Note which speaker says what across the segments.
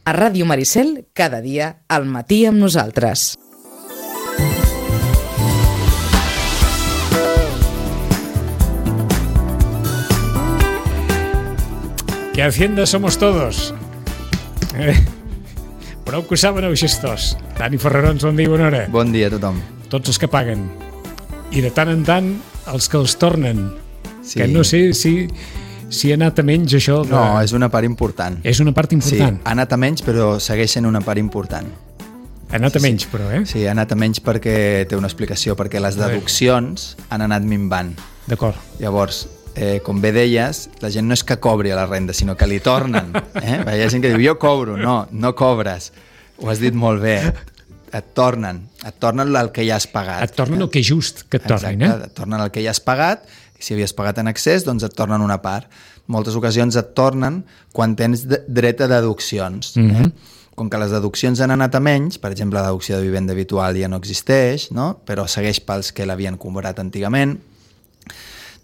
Speaker 1: A Ràdio Maricel, cada dia, al matí amb nosaltres.
Speaker 2: Que Hacienda somos todos. Prou que ho saben els gestors. Dani Ferrarons, bon dia, bona hora.
Speaker 3: Bon dia a tothom.
Speaker 2: Tots els que paguen. I de tant en tant, els que els tornen.
Speaker 3: Sí.
Speaker 2: Que no sé si ha anat a menys això.
Speaker 3: No, és una part important.
Speaker 2: És una part important.
Speaker 3: Sí, ha anat a menys, però segueix sent una part important.
Speaker 2: Ha anat a menys, però, eh?
Speaker 3: Sí, ha anat a menys perquè té una explicació, perquè les deduccions han anat minvant.
Speaker 2: D'acord.
Speaker 3: Llavors, com bé deies, la gent no és que cobri a la renda, sinó que li tornen. Hi ha gent que diu, jo cobro. No cobres. Ho has dit molt bé. Et tornen el que ja has pagat.
Speaker 2: Et tornen el que és just que et tornin, eh?
Speaker 3: Exacte, et tornen el que ja has pagat, i si havies pagat en excés, doncs et tornen una part. Moltes ocasions et tornen quan tens dret a deduccions. Com que les deduccions han anat a menys, per exemple, la deducció de vivenda habitual ja no existeix, no? Però segueix pels que l'havien cobrat antigament,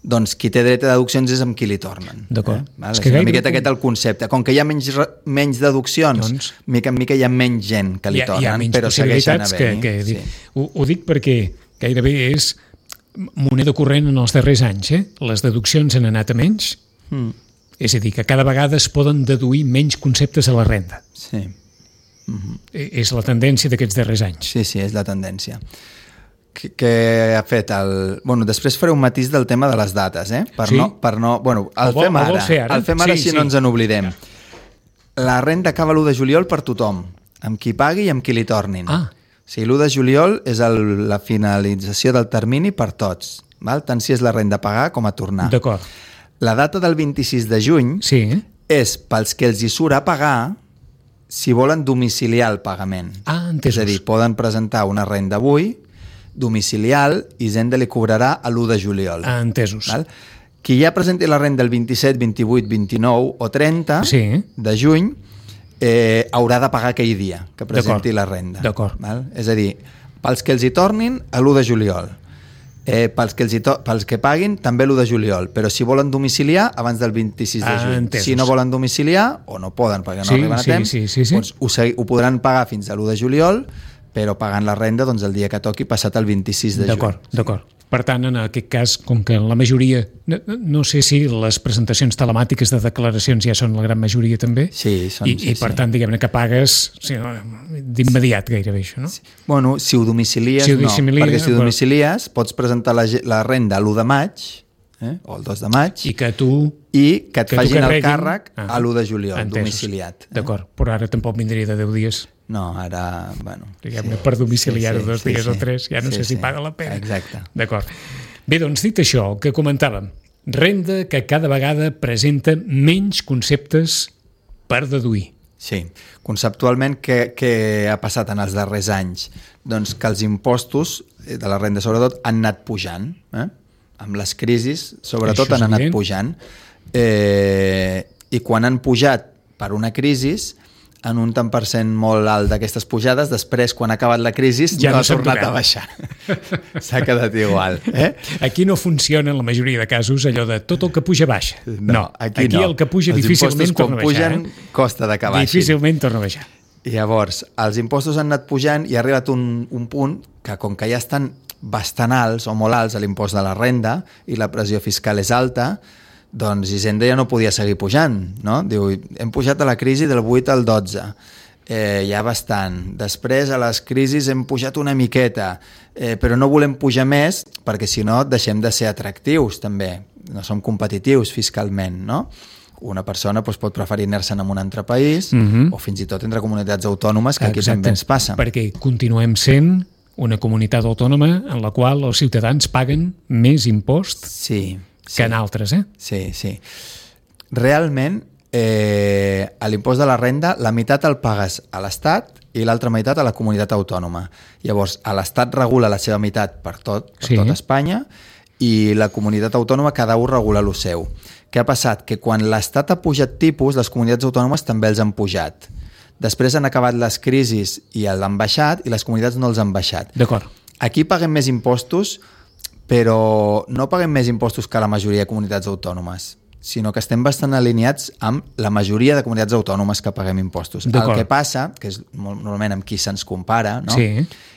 Speaker 3: doncs qui té dret a deduccions és amb qui li tornen.
Speaker 2: D'acord.
Speaker 3: És una miqueta aquest el concepte. Com que hi ha menys deduccions, doncs, mica en mica hi ha menys gent que li tornen, però segueixen havent-hi.
Speaker 2: Ho dic perquè gairebé és moneda corrent en els darrers anys. Les deduccions han anat a menys, és a dir, que cada vegada es poden deduir menys conceptes a la renda.
Speaker 3: Sí.
Speaker 2: És la tendència d'aquests darrers anys.
Speaker 3: Sí, és la tendència. Què ha fet Bueno, després faré un matís del tema de les dates, Bueno, el fem ara si no ens en oblidem. La renda acaba l'1 de juliol per tothom, amb qui pagui i amb qui li tornin. O sigui, l'1 de juliol és la finalització del termini per tots, tant si és la renda a pagar com a tornar.
Speaker 2: D'acord.
Speaker 3: La data del 26 de juny és pels que els hi surt a pagar si volen domiciliar el pagament.
Speaker 2: Entesos.
Speaker 3: És a dir, poden presentar una renda avui, domicilial, i Hisenda li cobrarà a l'1 de juliol.
Speaker 2: Entesos.
Speaker 3: Qui ja presenti la renda el 27, 28, 29 o 30 de juny haurà de pagar aquell dia que presenti la renda.
Speaker 2: D'acord.
Speaker 3: És a dir, pels que els hi tornin a l'1 de juliol, pels que paguin també l'1 de juliol, però si volen domiciliar abans del 26 de juny.
Speaker 2: Entesos.
Speaker 3: Si no volen domiciliar o no poden perquè no arriben a temps, doncs ho podran pagar fins a l'1 de juliol, però pagant la renda el dia que toqui passat el 26 de juny.
Speaker 2: D'acord. Per tant, en aquest cas, com que la majoria, no sé si les presentacions telemàtiques de declaracions ja són la gran majoria també, i per tant, diguem-ne que pagues d'immediat gairebé això, no?
Speaker 3: Bueno, si ho domicilies, no, perquè si ho domicilies pots presentar la renda l'1 de maig, o el 2 de maig,
Speaker 2: i que
Speaker 3: et facin el càrrec a l'1 de juliol, domiciliat.
Speaker 2: D'acord, però ara tampoc vindria de 10 dies.
Speaker 3: No, ara, bueno...
Speaker 2: Diguem-ne, per domiciliar-ho 2 dies o 3, ja no sé si paga la pena.
Speaker 3: Exacte.
Speaker 2: D'acord. Bé, doncs, dit això, el que comentàvem, renda que cada vegada presenta menys conceptes per deduir.
Speaker 3: Sí. Conceptualment, què ha passat en els darrers anys? Doncs que els impostos de la renda, sobretot, han anat pujant. Amb les crisis, sobretot, han anat pujant. I quan han pujat per una crisi, en un tant per cent molt alt d'aquestes pujades, després, quan ha acabat la crisi, ja no ha tornat a baixar. S'ha quedat igual.
Speaker 2: Aquí no funciona, en la majoria de casos, allò de tot el que puja baixa.
Speaker 3: No, aquí no.
Speaker 2: El que puja difícilment torna a baixar.
Speaker 3: Els impostos, quan pugen, costa de que baixin.
Speaker 2: Difícilment torna a baixar.
Speaker 3: I llavors, els impostos han anat pujant i ha arribat un punt que, com que ja estan bastant alts o molt alts a l'impost de la renda i la pressió fiscal és alta, doncs Hisenda ja no podia seguir pujant, no? Diu, hem pujat a la crisi del 8 al 12, ja bastant. Després, a les crisis hem pujat una miqueta, però no volem pujar més perquè, si no, deixem de ser atractius, també. No som competitius fiscalment, no? Una persona pot preferir anar-se'n a un altre país o fins i tot entre comunitats autònomes, que aquí també ens passa.
Speaker 2: Perquè continuem sent una comunitat autònoma en la qual els ciutadans paguen més impost que en altres,
Speaker 3: Sí. Realment, a l'impost de la renda, la meitat el pagues a l'Estat i l'altra meitat a la comunitat autònoma. Llavors, l'Estat regula la seva meitat per tot Espanya, i la comunitat autònoma cada un regula el seu. Què ha passat? Que quan l'Estat ha pujat tipus, les comunitats autònomes també els han pujat. Després han acabat les crisis i l'han baixat, i les comunitats no els han baixat.
Speaker 2: D'acord.
Speaker 3: Aquí paguem més impostos, però no paguem més impostos que la majoria de comunitats autònomes. sinó que estem bastant alineats amb la majoria de comunitats autònomes que paguem impostos. El que passa, que és normalment amb qui se'ns compara, no?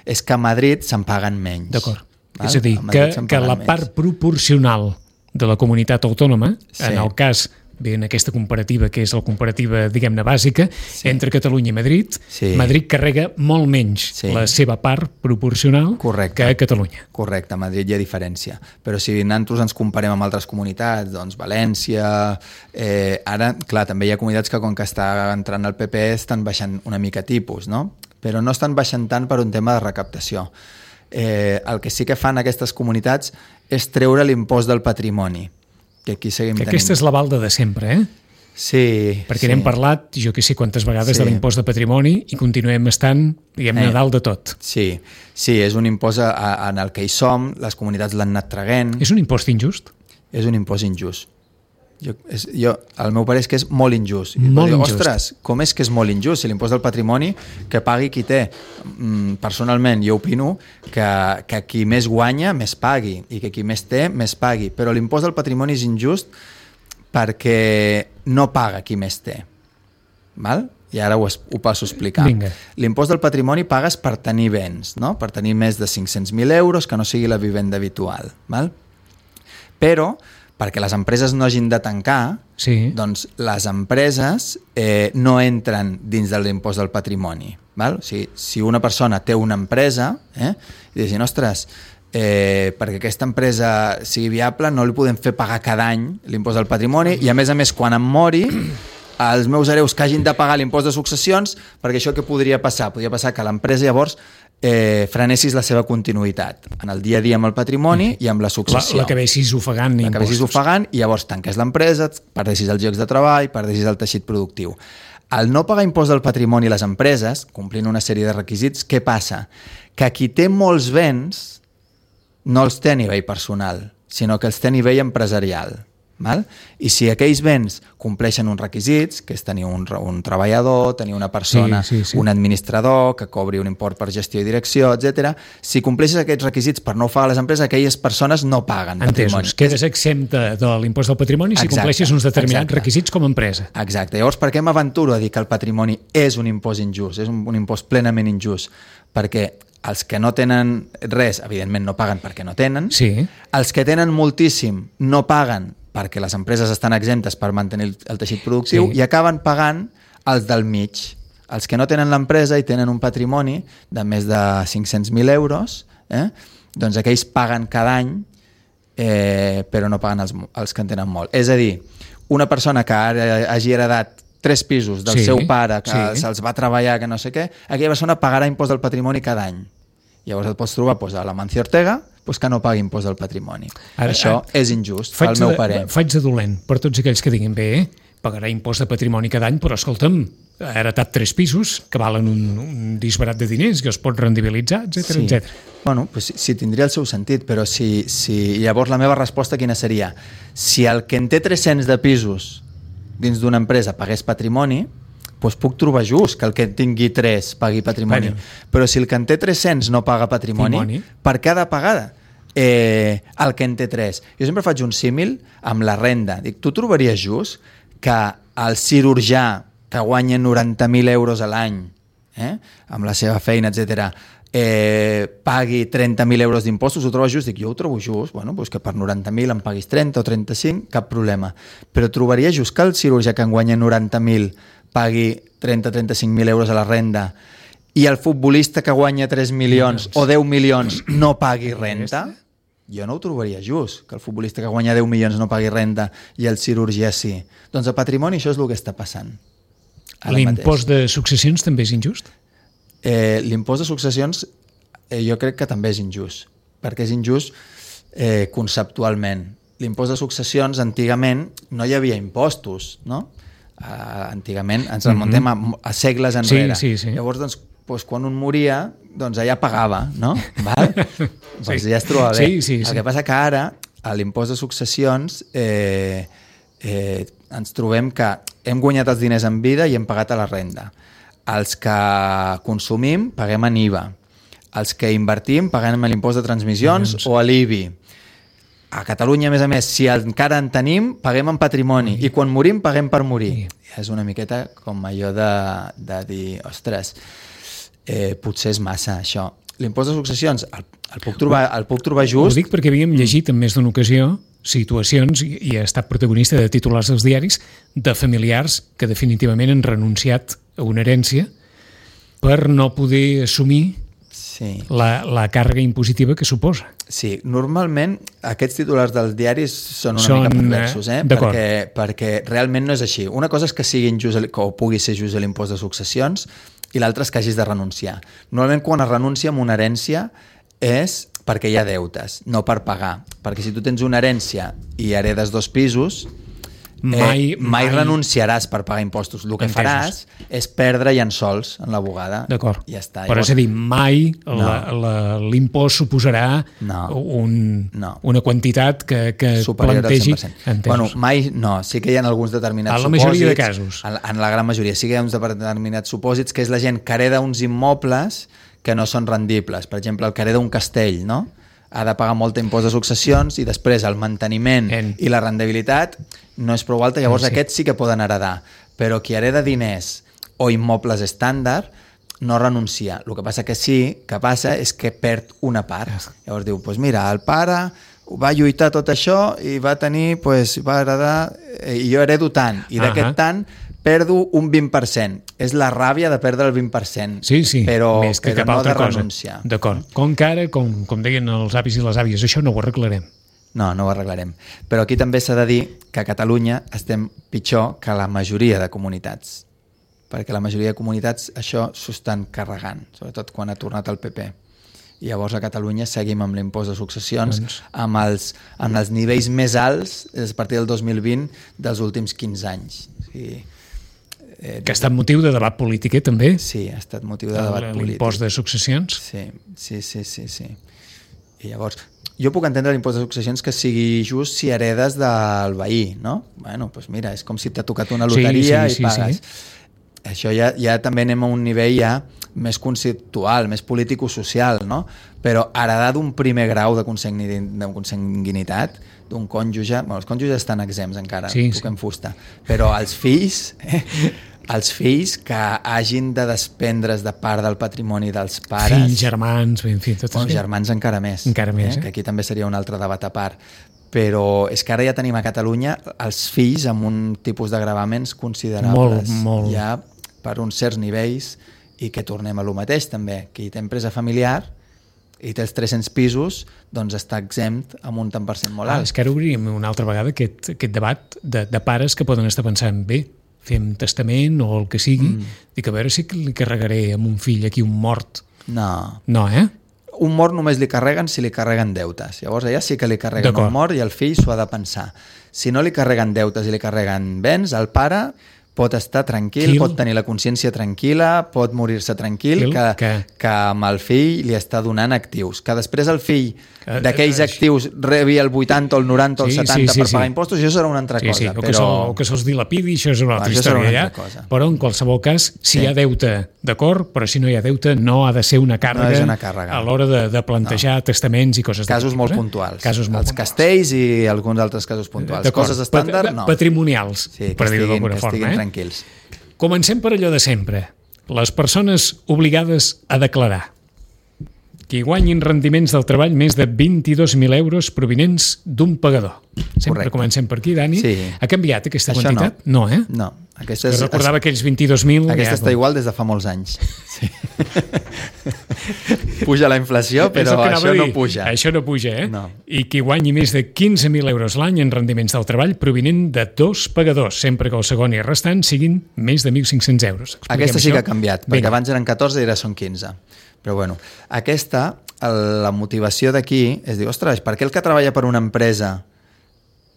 Speaker 3: És que a Madrid se'n paguen menys.
Speaker 2: D'acord. És a dir, que la part proporcional de la comunitat autònoma, en el cas en aquesta comparativa, que és la comparativa, diguem-ne, bàsica, entre Catalunya i Madrid, Madrid carrega molt menys la seva part proporcional que a Catalunya.
Speaker 3: Correcte, a Madrid hi ha diferència. Però si nosaltres ens comparem amb altres comunitats, doncs València... Ara, clar, també hi ha comunitats que, com que està entrant el PP, estan baixant una mica tipus, no? Però no estan baixant tant per un tema de recaptació. El que sí que fan aquestes comunitats és treure l'impost del patrimoni, que aquí seguim tenint.
Speaker 2: Aquesta és la balda de sempre,
Speaker 3: Sí.
Speaker 2: Perquè n'hem parlat, jo que sé quantes vegades, de l'impost de patrimoni i continuem estant, diguem-ne, dalt de tot.
Speaker 3: Sí, és un impost en el que hi som, les comunitats l'han anat traguent.
Speaker 2: És un impost injust?
Speaker 3: És un impost injust. El meu parer és que és molt injust. Ostres, com és que és molt injust? Si l'impost del patrimoni que pagui qui té. Personalment, jo opino que qui més guanya, més pagui, i que qui més té, més pagui. Però l'impost del patrimoni és injust perquè no paga qui més té. Val? I ara ho passo a explicar. L'impost del patrimoni pagues per tenir béns, no? Per tenir més de 500.000 euros, que no sigui la vivenda habitual. Val? Però perquè les empreses no hagin de tancar, doncs les empreses no entren dins de l'impost del patrimoni. Val? O sigui, si una persona té una empresa i diuen, ostres, perquè aquesta empresa sigui viable no li podem fer pagar cada any l'impost del patrimoni i a més quan em mori els meus hereus que hagin de pagar l'impost de successions, perquè això què podria passar? Podria passar que l'empresa llavors frenessis la seva continuïtat en el dia a dia amb el patrimoni i amb la successió.
Speaker 2: L'acabessis ofegant impostos.
Speaker 3: L'acabessis ofegant i llavors tanques l'empresa, perdessis els llocs de treball, perdessis el teixit productiu. Al no pagar impost del patrimoni a les empreses, complint una sèrie de requisits, què passa? Que qui té molts béns no els té a nivell personal, sinó que els té a nivell empresarial. Val? I si aquells béns compleixen uns requisits, que és tenir un treballador, tenir una persona, un administrador que cobri un import per gestió i direcció, etc. Si compleixes aquests requisits per no ofegar les empreses, aquelles persones no paguen patrimoni.
Speaker 2: Entesos, quedes exempta de l'impost del patrimoni si compleixes uns determinats requisits com a empresa.
Speaker 3: Exacte. Llavors, per què m'aventuro a dir que el patrimoni és un impost injust, és un impost plenament injust? Perquè els que no tenen res, evidentment no paguen perquè no tenen. Els que tenen moltíssim no paguen perquè les empreses estan exemptes per mantenir el teixit productiu i acaben pagant els del mig. Els que no tenen l'empresa i tenen un patrimoni de més de 500.000 euros, doncs aquells paguen cada any, però no paguen els que en tenen molt. És a dir, una persona que hagi heredat 3 pisos del seu pare, que se'ls va treballar, que no sé què, aquella persona pagarà impost del patrimoni cada any. Llavors et pots trobar a l'Amancio Ortega que no pagui impost del patrimoni. Això és injust, al meu parer.
Speaker 2: Faig de dolent per tots aquells que diguin pagarà impost de patrimoni cada any, però escolta'm, ha heretat 3 pisos que valen un disbarat de diners que es pot rendibilitzar, etc.
Speaker 3: Bueno, sí, tindria el seu sentit, però llavors la meva resposta quina seria? Si el que en té 300 de pisos dins d'una empresa pagués patrimoni, doncs puc trobar just que el que tingui 3 pagui patrimoni. Però si el que en té 300 no paga patrimoni, per què ha de pagar el que en té 3? Jo sempre faig un símil amb la renda. Dic, tu trobaries just que el cirurgià que guanya 90.000 euros a l'any amb la seva feina, etc., pagui 30.000 euros d'impostos? Ho trobes just? Dic, jo ho trobo just. Bueno, doncs que per 90.000 em paguis 30 o 35, cap problema. Però trobaria just que el cirurgià que en guanya 90.000 pagui 30-35.000 euros a la renda i el futbolista que guanya 3 milions o 10 milions no pagui renta? Jo no ho trobaria just, que el futbolista que guanya 10 milions no pagui renta i el cirurgià sí. Doncs a patrimoni això és el que està passant.
Speaker 2: L'impost de successions també és injust?
Speaker 3: L'impost de successions jo crec que també és injust, perquè és injust conceptualment. L'impost de successions, antigament, no hi havia impostos, no? Antigament ens remuntem a segles enrere. Llavors, quan un moria, doncs allà pagava, no? Doncs ja es trobava bé. El que passa que ara, a l'impost de successions, ens trobem que hem guanyat els diners en vida i hem pagat a la renda. Els que consumim paguem en IVA. Els que invertim paguem l'impost de transmissions o a l'IBI. A Catalunya, a més a més, si encara en tenim, paguem en patrimoni, i quan morim, paguem per morir. És una miqueta com allò de dir, ostres, potser és massa, això. L'impost de successions, el puc trobar just...
Speaker 2: Ho dic perquè havíem llegit en més d'una ocasió situacions, i ha estat protagonista de titulars dels diaris, de familiars que definitivament han renunciat a una herència per no poder assumir la càrrega impositiva que suposa.
Speaker 3: Sí, normalment aquests titulars dels diaris són una mica perversos, perquè realment no és així. Una cosa és que sigui injust, o pugui ser just l'impost de successions, i l'altra és que hagis de renunciar. Normalment quan es renuncia a una herència és perquè hi ha deutes, no per pagar. Perquè si tu tens una herència i heredes 2 pisos, mai renunciaràs per pagar impostos. El que faràs és perdre llançols en la bugada.
Speaker 2: D'acord.
Speaker 3: Ja està.
Speaker 2: Però és a dir, mai l'impost suposarà una quantitat que plantegi...
Speaker 3: Bueno, mai no. Sí que hi ha alguns determinats supòsits.
Speaker 2: A la majoria de casos.
Speaker 3: En la gran majoria. Sí que hi ha uns determinats supòsits, que és la gent que hereda uns immobles que no són rendibles. Per exemple, el que hereda un castell, no? Ha de pagar molt impost de successions i després el manteniment i la rendibilitat no és prou alta, llavors aquests sí que poden heredar, però qui hereda diners o immobles estàndard no renuncia. El que passa és que perd una part. Llavors diu, doncs mira, el pare va lluitar tot això i va tenir, va heredar, i jo heredo tant, i d'aquest tant perdo un 20%. És la ràbia de perdre el 20%, però no de renunciar.
Speaker 2: D'acord. Com que ara, com deien els avis i les àvies, això no ho arreglarem.
Speaker 3: No ho arreglarem. Però aquí també s'ha de dir que a Catalunya estem pitjor que la majoria de comunitats, perquè la majoria de comunitats això s'ho estan carregant, sobretot quan ha tornat el PP. I llavors a Catalunya seguim amb l'impost de successions amb els nivells més alts a partir del 2020 dels últims 15 anys.
Speaker 2: Que ha estat motiu de debat polític, també?
Speaker 3: Sí, ha estat motiu de debat polític.
Speaker 2: L'impost de successions?
Speaker 3: Sí. I llavors, jo puc entendre l'impost de successions que sigui just si heredes del veí, no? Bueno, doncs mira, és com si t'ha tocat una loteria i pagues. Això ja també anem a un nivell ja més conceptual, més político-social, no? Però heredar d'un primer grau de consanguinitat, d'un cònjuge... Bueno, els cònjuges estan exempts encara, toquem fusta. Però els fills que hagin de desprendre's de part del patrimoni dels pares...
Speaker 2: Fills, germans, en fi, tot
Speaker 3: això. Germans encara més. Que aquí també seria un altre debat a part. Però és que ara ja tenim a Catalunya els fills amb un tipus de gravaments considerables.
Speaker 2: Molt.
Speaker 3: Ja per uns certs nivells, i que tornem a lo mateix també. Qui té empresa familiar i té els 300 pisos, doncs està exempt amb un tant per cent molt alt.
Speaker 2: És que ara obrim una altra vegada aquest debat de pares que poden estar pensant, bé, fem testament o el que sigui, dic, a veure si li carregaré amb un fill aquí un mort.
Speaker 3: No.
Speaker 2: No,
Speaker 3: Un mort només li carreguen si li carreguen deutes. Llavors allà sí que li carreguen un mort i el fill s'ho ha de pensar. Si no li carreguen deutes i li carreguen béns, el pare pot estar tranquil, pot tenir la consciència tranquil·la, pot morir-se tranquil, que amb el fill li està donant actius. Que després el fill d'aquells actius rebi el 80 o el 90 o el 70 per pagar impostos, això serà una altra cosa.
Speaker 2: O que se'ls dilapidi, això és una altra història. Però en qualsevol cas, si hi ha deute, d'acord, però si no hi ha deute no ha de ser una càrrega a l'hora de plantejar testaments i coses
Speaker 3: casos molt puntuals. Els castells i alguns altres casos puntuals. Coses estàndard, no.
Speaker 2: Patrimonials, per dir-ho d'alguna forma.
Speaker 3: Tranquils.
Speaker 2: Comencem per allò de sempre. Les persones obligades a declarar. Qui guanyin rendiments del treball més de 22.000 euros provinents d'un pagador. Sempre comencem per aquí, Dani. Ha canviat aquesta quantitat? No,
Speaker 3: No.
Speaker 2: Recordava aquells 22.000...
Speaker 3: Aquesta està igual des de fa molts anys. Puja la inflació, però això no puja.
Speaker 2: Això no puja, No. I qui guanyi més de 15.000 euros l'any en rendiments del treball provinent de 2 pagadors, sempre que el segon i el restant siguin més de 1.500 euros.
Speaker 3: Aquesta sí que ha canviat, perquè abans eren 14 i ara són 15. Però bueno, la motivació d'aquí és dir, ostres, per què el que treballa per una empresa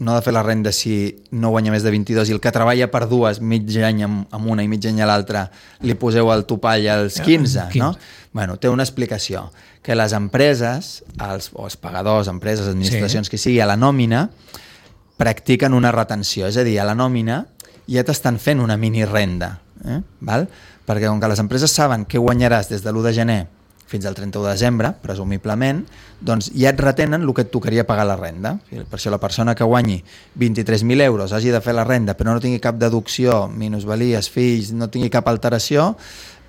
Speaker 3: no ha de fer la renda si no guanya més de 22 i el que treballa per dues, mig any amb una i mig any a l'altra, li poseu el topall als 15, no? Bueno, té una explicació, que les empreses, els pagadors, empreses, administracions, que sigui, a la nòmina, practiquen una retenció, és a dir, a la nòmina ja t'estan fent una mini renda, val? Perquè com que les empreses saben què guanyaràs des de l'1 de gener fins al 31 de desembre, presumiblement, doncs ja et retenen el que et tocaria pagar la renda. Per això la persona que guanyi 23.000 euros hagi de fer la renda però no tingui cap deducció, minusvalies, fills, no tingui cap alteració,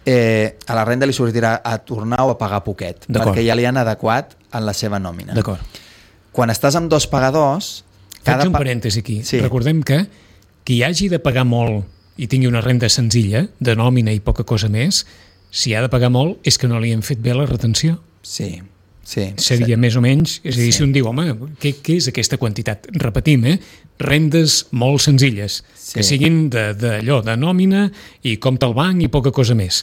Speaker 3: a la renda li sortirà a tornar o a pagar poquet, perquè ja li han adequat en la seva nòmina.
Speaker 2: D'acord.
Speaker 3: Quan estàs amb dos pagadors...
Speaker 2: Faig un parèntesi aquí. Sí. Recordem que qui hagi de pagar molt i tingui una renda senzilla, de nòmina i poca cosa més, si ha de pagar molt és que no li han fet bé la retenció.
Speaker 3: Sí.
Speaker 2: Seria més o menys, és a dir, si un diu, home, què és aquesta quantitat? Repetim, rendes molt senzilles, que siguin d'allò, de nòmina i compte al banc i poca cosa més.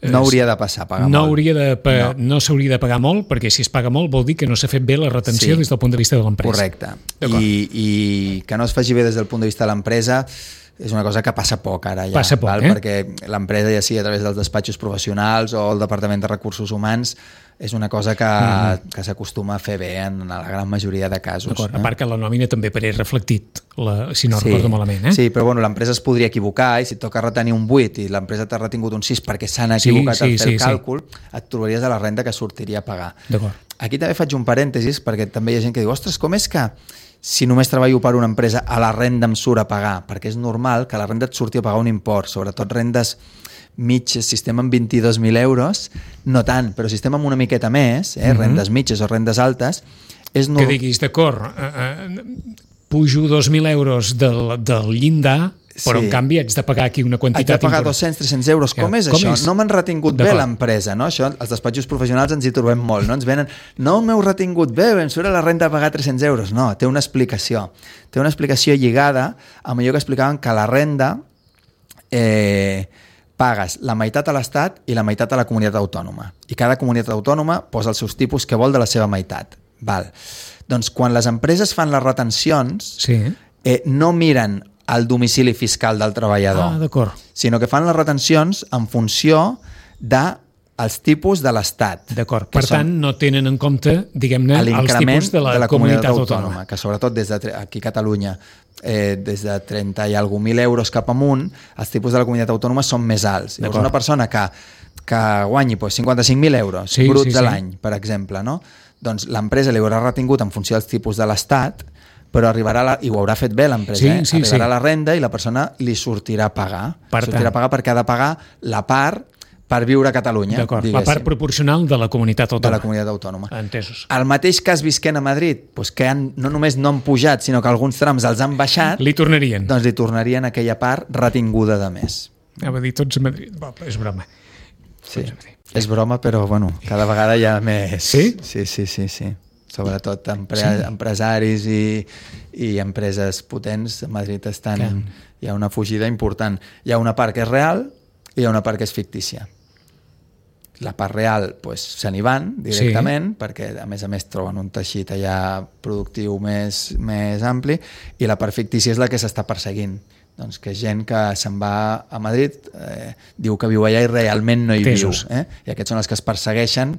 Speaker 3: No hauria de passar a pagar molt.
Speaker 2: No s'hauria de pagar molt, perquè si es paga molt vol dir que no s'ha fet bé la retenció des del punt de vista de l'empresa.
Speaker 3: Correcte. I que no es faci bé des del punt de vista de l'empresa és una cosa que passa poc ara ja.
Speaker 2: Passa poc,
Speaker 3: perquè l'empresa, ja sigui a través dels despatxos professionals o el Departament de Recursos Humans, és una cosa que s'acostuma a fer bé en la gran majoria de casos.
Speaker 2: A part que la nòmina també apareix reflectit, si no recordo malament.
Speaker 3: Sí, però l'empresa es podria equivocar i si et toca retenir un 8 i l'empresa t'ha retingut un 6 perquè s'han equivocat al fer el càlcul, et trobaries a la renda que sortiria a pagar. Aquí també faig un parèntesis perquè també hi ha gent que diu, ostres, com és que si només treballo per una empresa a la renda em surt a pagar? Perquè és normal que a la renda et surti a pagar un import, sobretot rendes mitges, si estem amb 22.000 euros, no tant, però si estem amb una miqueta més, rendes mitges o rendes altes, és normal...
Speaker 2: Que diguis, d'acord, pujo 2.000 euros del llindar, però en canvi haig de pagar aquí una quantitat...
Speaker 3: Haig de pagar 200-300 euros. Com és això? No m'han retingut bé l'empresa, no? Això, els despatxos professionals ens hi trobem molt, no? Ens venen, no m'heu retingut bé, em surt a la renda a pagar 300 euros. No, té una explicació. Té una explicació lligada amb allò que explicaven que la renda pagues la meitat a l'Estat i la meitat a la comunitat autònoma. I cada comunitat autònoma posa els seus tipus que vol de la seva meitat. Doncs quan les empreses fan les retencions, no miren el domicili fiscal del treballador, sinó que fan les retencions en funció dels tipus de l'Estat.
Speaker 2: D'acord. Per tant, no tenen en compte, diguem-ne, els tipus de la comunitat autònoma.
Speaker 3: Que sobretot aquí a Catalunya, des de 30 i alguna mil euros cap amunt, els tipus de la comunitat autònoma són més alts. Llavors, una persona que guanyi 55.000 euros bruts a l'any, per exemple, doncs l'empresa li haurà retingut en funció dels tipus de l'Estat, però i ho haurà fet bé l'empresa, arribarà la renda i la persona li sortirà a pagar. Sortirà a pagar perquè ha de pagar la part per viure a Catalunya.
Speaker 2: D'acord, la part proporcional de la comunitat autònoma.
Speaker 3: De la comunitat autònoma.
Speaker 2: Entesos.
Speaker 3: El mateix cas visquent a Madrid, que no només no han pujat, sinó que alguns trams els han baixat,
Speaker 2: li tornarien.
Speaker 3: Doncs li tornarien aquella part retinguda de més.
Speaker 2: Anava a dir tots a Madrid. És broma.
Speaker 3: Sí, és broma, però cada vegada hi ha més...
Speaker 2: Sí?
Speaker 3: Sí. Sobretot empresaris i empreses potents a Madrid hi ha una fugida important. Hi ha una part que és real i hi ha una part que és fictícia. La part real se n'hi van directament perquè a més troben un teixit allà productiu més ampli i la part fictícia és la que s'està perseguint. Doncs que gent que se'n va a Madrid diu que viu allà i realment no hi viu. I aquests són els que es persegueixen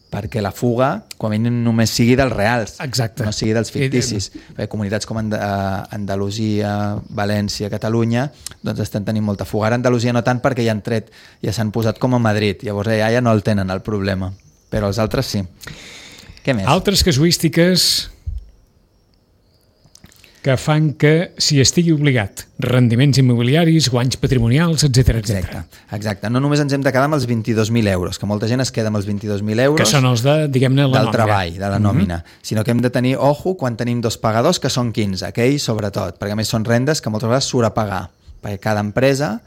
Speaker 3: perquè la fuga, com a mínim, només sigui dels reals, no sigui dels ficticis. Comunitats com Andalusia, València, Catalunya, doncs estan tenint molta fuga. Ara Andalusia no tant perquè ja s'han posat com a Madrid, llavors ja no el tenen el problema, però els altres sí. Què més?
Speaker 2: Altres casuístiques que fan que s'hi estigui obligat rendiments immobiliaris, guanys patrimonials, etc.
Speaker 3: Exacte. No només ens hem de quedar amb els 22.000 euros, que molta gent es queda amb els 22.000 euros...
Speaker 2: Que són els de, diguem-ne, la
Speaker 3: del treball, de la nòmina. Sinó que hem de tenir, quan tenim dos pagadors, que són 15, aquells sobretot, perquè a més són rendes que moltes vegades surt a pagar, perquè cada empresa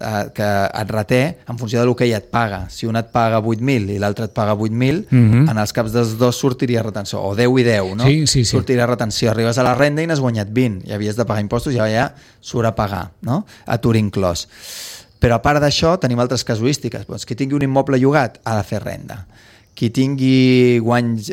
Speaker 3: que et reté en funció del que ella et paga. Si un et paga 8.000 i l'altre et paga 8.000, en els caps dels dos sortiria retenció, o 10 i 10, no?
Speaker 2: Sí.
Speaker 3: Sortiria retenció. Arribes a la renda i n'has guanyat 20, i havies de pagar impostos i ja surt a pagar, no? Atur inclòs. Però a part d'això tenim altres casuístiques. Qui tingui un immoble llogat ha de fer renda. Qui tingui guanys,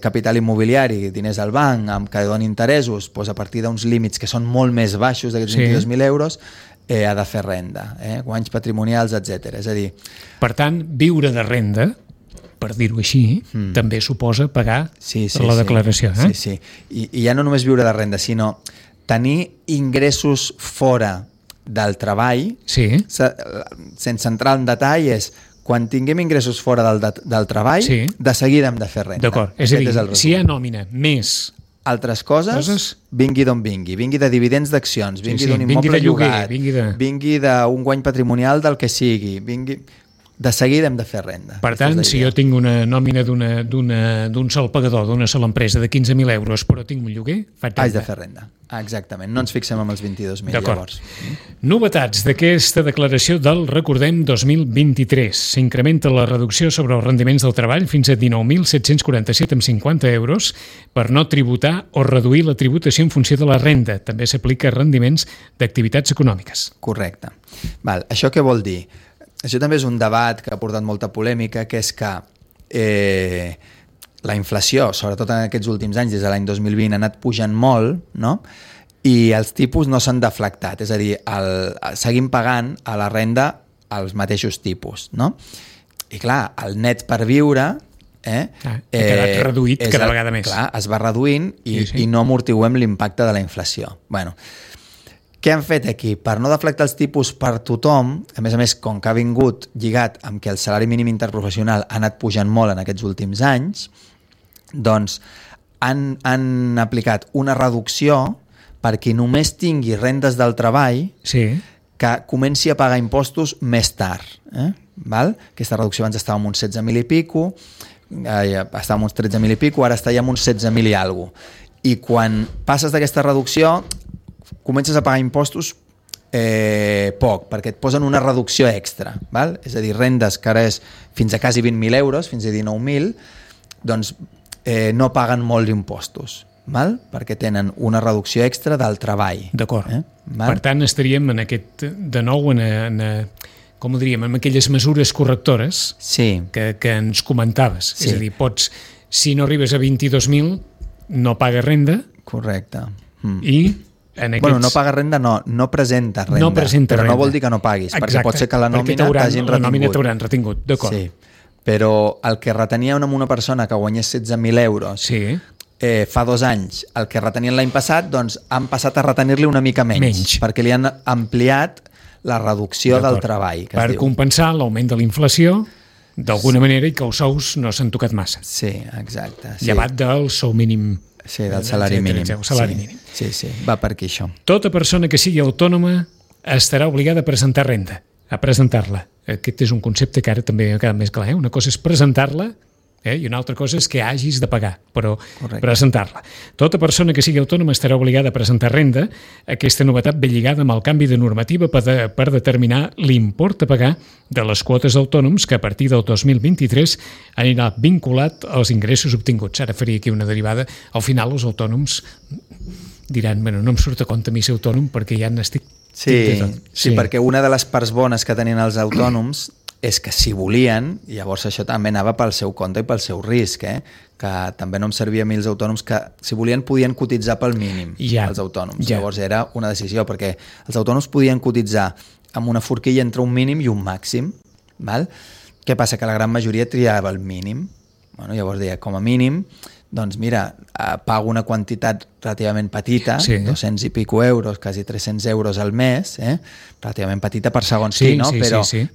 Speaker 3: capital immobiliari, diners al banc, que doni interessos, a partir d'uns límits que són molt més baixos d'aquests 22.000 euros, ha de fer renda, guanys patrimonials, etc. És a dir...
Speaker 2: Per tant, viure de renda, per dir-ho així, també suposa pagar la declaració.
Speaker 3: Sí. I ja no només viure de renda, sinó tenir ingressos fora del treball, sense entrar en detall, és quan tinguem ingressos fora del treball, de seguida hem de fer renda.
Speaker 2: D'acord, és a dir, si hi ha nòmina més
Speaker 3: altres coses, vingui d'on vingui de dividends d'accions, vingui d'un immoble llogat, vingui d'un guany patrimonial del que sigui, de seguida hem de fer renda.
Speaker 2: Per tant, si jo tinc una nòmina d'un sol pagador, d'una sola empresa de 15.000 euros, però tinc un lloguer, faig renda.
Speaker 3: Haig de fer renda, exactament. No ens fixem amb els 22.000 llavors.
Speaker 2: Novetats d'aquesta declaració del, recordem, 2023. S'incrementa la reducció sobre els rendiments del treball fins a 19.747,50 euros per no tributar o reduir la tributació en funció de la renda. També s'aplica a rendiments d'activitats econòmiques.
Speaker 3: Correcte. Això què vol dir? Això també és un debat que ha portat molta polèmica, que és que la inflació, sobretot en aquests últims anys, des de l'any 2020, ha anat pujant molt, no? I els tipus no s'han deflactat, és a dir, seguim pagant a la renda els mateixos tipus, no? I clar, el net per viure
Speaker 2: ha quedat reduït cada vegada més.
Speaker 3: Clar, es va reduint i no amortiguem l'impacte de la inflació. Bueno, què han fet aquí? Per no deflactar els tipus per tothom, a més, com que ha vingut lligat amb que el salari mínim interprofessional ha anat pujant molt en aquests últims anys, doncs han aplicat una reducció per qui només tingui rendes del treball que comenci a pagar impostos més tard. Val? Aquesta reducció abans estava en uns 16.000 i pico, estava en uns 13.000 i pico, ara està ja en uns 16.000 i alguna cosa. I quan passes d'aquesta reducció comences a pagar impostos poc, perquè et posen una reducció extra, val? És a dir, rendes que ara és fins a quasi 20.000 euros, fins a 19.000, doncs no paguen molts impostos, val? Perquè tenen una reducció extra del treball.
Speaker 2: D'acord. Per tant, estaríem en aquest, de nou, com ho diríem, en aquelles mesures correctores que ens comentaves. És a dir, si no arribes a 22.000, no pagues renda.
Speaker 3: Correcte.
Speaker 2: I
Speaker 3: no paga renda, no presenta renda, però no vol dir que no paguis. Exacte, perquè pot ser que la nòmina t'hagin retingut.
Speaker 2: La nòmina t'hauran retingut, d'acord.
Speaker 3: Sí, però el que retenia amb una persona que guanyés 16.000 euros fa 2 anys, el que retenien l'any passat, doncs han passat a retenir-li una mica menys, perquè li han ampliat la reducció del treball.
Speaker 2: Per compensar l'augment de la inflació, d'alguna manera, i que els sous no s'han tocat massa.
Speaker 3: Sí, exacte.
Speaker 2: Llevat del sou mínim.
Speaker 3: Sí, del salari mínim. Sí, va per aquí això.
Speaker 2: Tota persona que sigui autònoma estarà obligada a presentar renda, a presentar-la. Aquest és un concepte que ara també ha quedat més clar. Una cosa és presentar-la i una altra cosa és que hagis de pagar, però presentar-la. Tota persona que sigui autònoma estarà obligada a presentar renda. Aquesta novetat ve lligada amb el canvi de normativa per determinar l'import a pagar de les quotes d'autònoms que a partir del 2023 anirà vinculat als ingressos obtinguts. Ara faria aquí una derivada. Al final els autònoms diran, no em surt a compte a mi ser autònom perquè ja n'estic...
Speaker 3: Sí, perquè una de les parts bones que tenien els autònoms és que si volien, llavors això també anava pel seu compte i pel seu risc, que també no em servia a mi els autònoms que, si volien, podien cotitzar pel mínim, els autònoms. Llavors era una decisió, perquè els autònoms podien cotitzar amb una forquilla entre un mínim i un màxim. Val? Què passa? Que la gran majoria triava el mínim. Llavors deia, com a mínim, doncs mira, pago una quantitat relativament petita, 200 i pico euros, quasi 300 euros al mes, relativament petita per segons qui, no?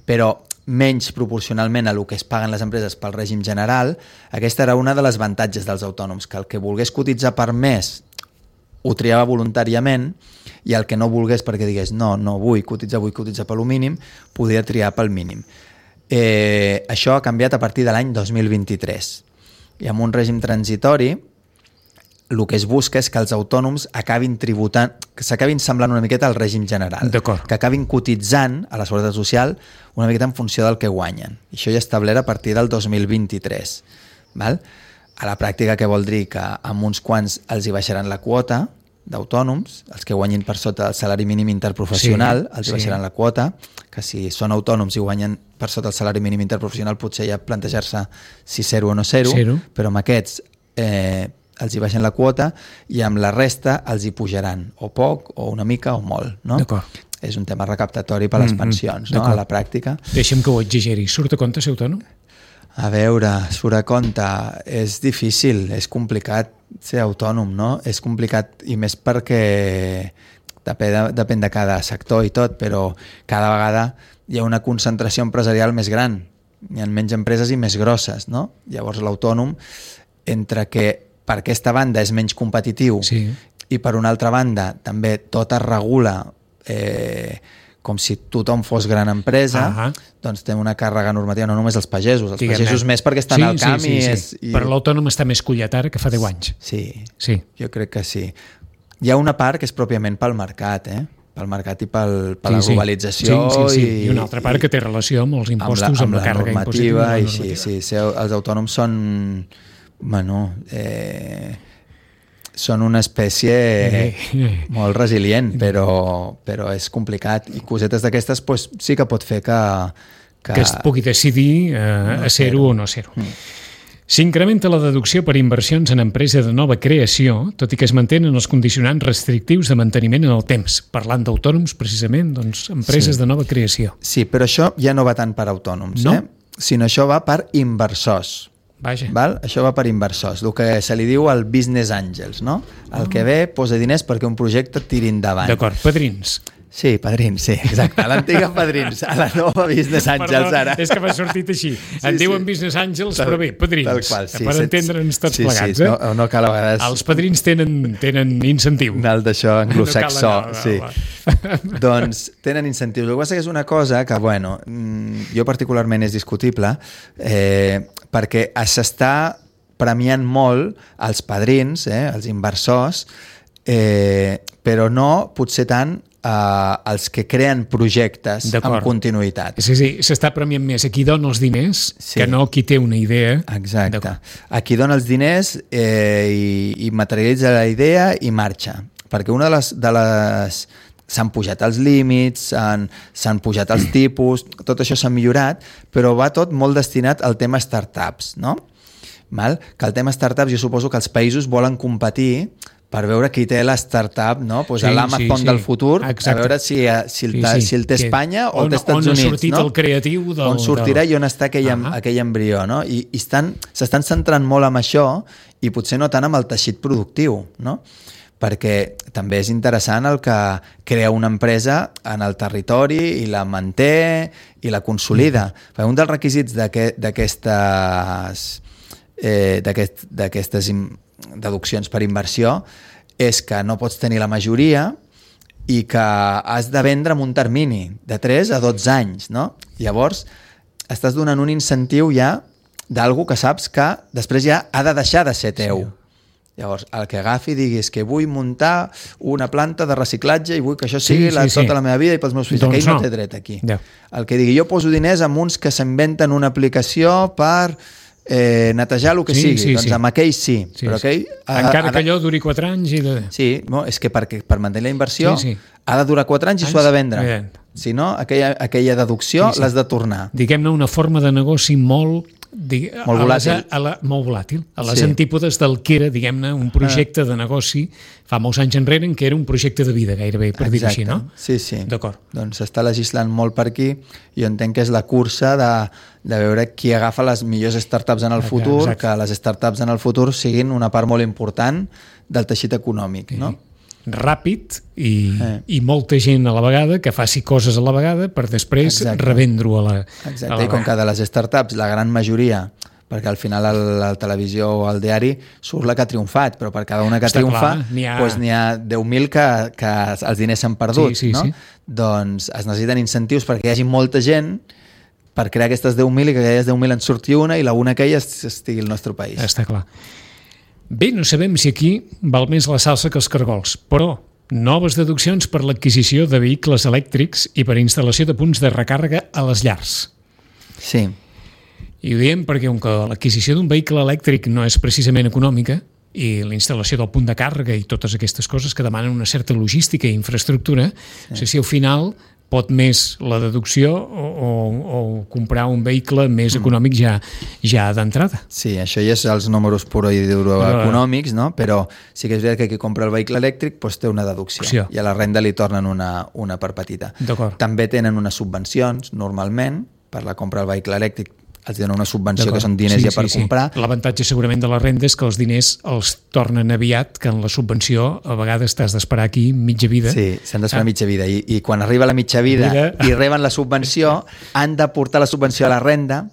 Speaker 3: Però menys proporcionalment a el que es paguen les empreses pel règim general. Aquesta era una de les avantatges dels autònoms, que el que volgués cotitzar per mes ho triava voluntàriament i el que no volgués perquè digués no vull cotitzar per lo mínim, podia triar pel mínim. Això ha canviat a partir de l'any 2023 i amb un règim transitori el que es busca és que els autònoms acabin tributant, que s'acabin semblant una miqueta al règim general, que acabin cotitzant a la Seguretat Social una miqueta en funció del que guanyen. I això ja establert a partir del 2023. Val? A la pràctica, què vol dir? Que amb uns quants els hi baixaran la quota d'autònoms, els que guanyin per sota del salari mínim interprofessional, els hi baixaran la quota, que si són autònoms i guanyen per sota el salari mínim interprofessional potser ja plantejar-se si 0 o no 0, però amb aquests els hi baixen la quota i amb la resta els hi pujaran o poc, o una mica, o molt. No? És un tema recaptatori per a les pensions, no? A la pràctica.
Speaker 2: Deixa'm que ho exageri. Surt a compte ser autònom?
Speaker 3: A veure, surt a compte. És difícil, és complicat ser autònom, no? És complicat i més perquè depèn de cada sector i tot, però cada vegada hi ha una concentració empresarial més gran. hi ha menys empreses i més grosses, no? Llavors l'autònom, entre que per aquesta banda és menys competitiu i per una altra banda també tot es regula com si tothom fos gran empresa, doncs té una càrrega normativa, no només els pagesos més perquè estan al camp.
Speaker 2: Però l'autònom està més collat ara que fa 10 anys.
Speaker 3: Sí, jo crec que sí. Hi ha una part que és pròpiament pel mercat, pel mercat i per la globalització.
Speaker 2: I una altra part que té relació amb els impostos, amb la càrrega impositiva.
Speaker 3: Els autònoms són... són una espècie molt resilient, però és complicat. I cosetes d'aquestes sí que pot fer que
Speaker 2: es pugui decidir a ser-ho o no ser-ho. S'incrementa la deducció per inversions en empresa de nova creació, tot i que es mantenen els condicionants restrictius de manteniment en el temps. Parlant d'autònoms, precisament, doncs, empreses de nova creació.
Speaker 3: Sí, però això ja no va tant per autònoms, sinó això va per inversors. Val? Això va per inversors, el que se li diu el business angels, no? El que ve posa diners perquè un projecte tiri endavant.
Speaker 2: D'acord, padrins.
Speaker 3: Sí, padrins, sí, exacte. L'antiga padrins, a la nova business angels ara.
Speaker 2: És que m'ha sortit així. En diuen business angels, però bé, padrins. Per entendre'ns tots plegats.
Speaker 3: No cal a vegades...
Speaker 2: Els padrins tenen incentiu.
Speaker 3: Anal d'això anglosaxó, sí. Doncs tenen incentius. El que passa que és una cosa que, bueno, jo particularment és discutible, perquè s'està premiant molt els padrins, els inversors, però no potser tant els que creen projectes amb continuïtat.
Speaker 2: Sí, s'està premiant més a qui dona els diners que no qui té una idea.
Speaker 3: Exacte. A qui dona els diners i materialitza la idea i marxa. Perquè una de les s'han pujat els límits, s'han pujat els tipus, tot això s'ha millorat, però va tot molt destinat al tema startups, no? Que el tema startups, jo suposo que els països volen competir per veure qui té la startup, no? L'Amazon del futur, a veure si el té Espanya o el té Estats Units.
Speaker 2: On ha sortit el creatiu.
Speaker 3: On sortirà i on està aquell embrió, no? I s'estan centrant molt en això i potser no tant amb el teixit productiu, no? Perquè també és interessant el que crea una empresa en el territori i la manté i la consolida. Un dels requisits d'aquestes deduccions per inversió és que no pots tenir la majoria i que has de vendre en un termini de 3 a 12 anys, no? Llavors, estàs donant un incentiu ja d'algú que saps que després ja ha de deixar de ser teu. Llavors, el que agafi i digui és que vull muntar una planta de reciclatge i vull que això sigui tota la meva vida i pels meus fills. Aquell no té dret aquí. El que digui, jo poso diners amb uns que s'inventen una aplicació per netejar el que sigui. Doncs amb aquell sí.
Speaker 2: Encara que allò duri 4 anys.
Speaker 3: Sí, és que per mantenir la inversió ha de durar 4 anys i s'ho ha de vendre. Si no, aquella deducció l'has de tornar.
Speaker 2: Diguem-ne una forma de negoci molt volàtil. Molt volàtil. A les antípodes del que era, diguem-ne, un projecte de negoci fa molts anys enrere, que era un projecte de vida, gairebé, per dir-ho així, no?
Speaker 3: Sí.
Speaker 2: D'acord.
Speaker 3: Doncs s'està legislant molt per aquí. Jo entenc que és la cursa de veure qui agafa les millors startups en el futur, que les startups en el futur siguin una part molt important del teixit econòmic, no?
Speaker 2: Ràpid i molta gent a la vegada que faci coses a la vegada per després revendre-ho a la vegada.
Speaker 3: I com que de les startups la gran majoria, perquè al final a la televisió o al diari surt la que ha triomfat, però per cada una que triomfa n'hi ha 10.000 que els diners s'han perdut, no? Doncs es necessiten incentius perquè hi hagi molta gent per crear aquestes 10.000 i que d'aquestes 10.000 en surti una i la una aquella estigui al nostre país.
Speaker 2: Està clar. Bé, no sabem si aquí val més la salsa que els cargols, però noves deduccions per l'adquisició de vehicles elèctrics i per instal·lació de punts de recàrrega a les llars.
Speaker 3: Sí.
Speaker 2: I ho diem perquè l'adquisició d'un vehicle elèctric no és precisament econòmica i la instal·lació del punt de càrrega i totes aquestes coses que demanen una certa logística i infraestructura, no sé si al final pot més la deducció o comprar un vehicle més econòmic ja d'entrada.
Speaker 3: Sí, això ja és els números puro i duro econòmics, no? Però sí que és veritat que qui compra el vehicle elèctric té una deducció i a la renda li tornen una part petita. També tenen unes subvencions, normalment, per la compra del vehicle elèctric els donen una subvenció que són diners per comprar.
Speaker 2: L'avantatge segurament de la renda és que els diners els tornen aviat, que en la subvenció a vegades t'has d'esperar aquí mitja vida.
Speaker 3: Sí, s'han d'esperar mitja vida i quan arriba la mitja vida i reben la subvenció han de portar la subvenció a la renda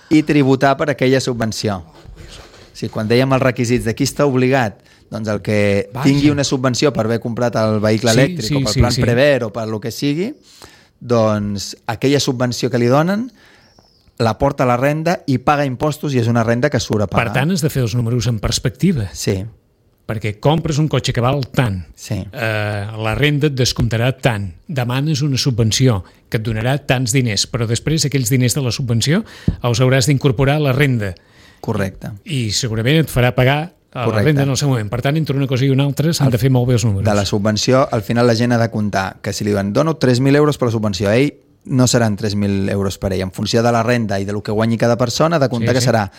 Speaker 3: i tributar per aquella subvenció. O sigui, quan dèiem els requisits de qui està obligat, doncs el que tingui una subvenció per haver comprat el vehicle elèctric o pel plan Prever o per lo que sigui, doncs aquella subvenció que li donen la porta a la renda i paga impostos i és una renda que surt a pagar.
Speaker 2: Per tant, has de fer els números en perspectiva.
Speaker 3: Sí.
Speaker 2: Perquè compres un cotxe que val tant, la renda et descomptarà tant, demanes una subvenció que et donarà tants diners, però després aquells diners de la subvenció els hauràs d'incorporar a la renda.
Speaker 3: Correcte.
Speaker 2: I segurament et farà pagar a la renda en el seu moment. Per tant, entre una cosa i una altra s'han de fer molt bé els números.
Speaker 3: De la subvenció, al final la gent ha de comptar que si li diuen dono 3.000 euros per la subvenció, ell no seran 3.000 euros per ell. En funció de la renda i de lo que guanyi cada persona, ha de comptar que serà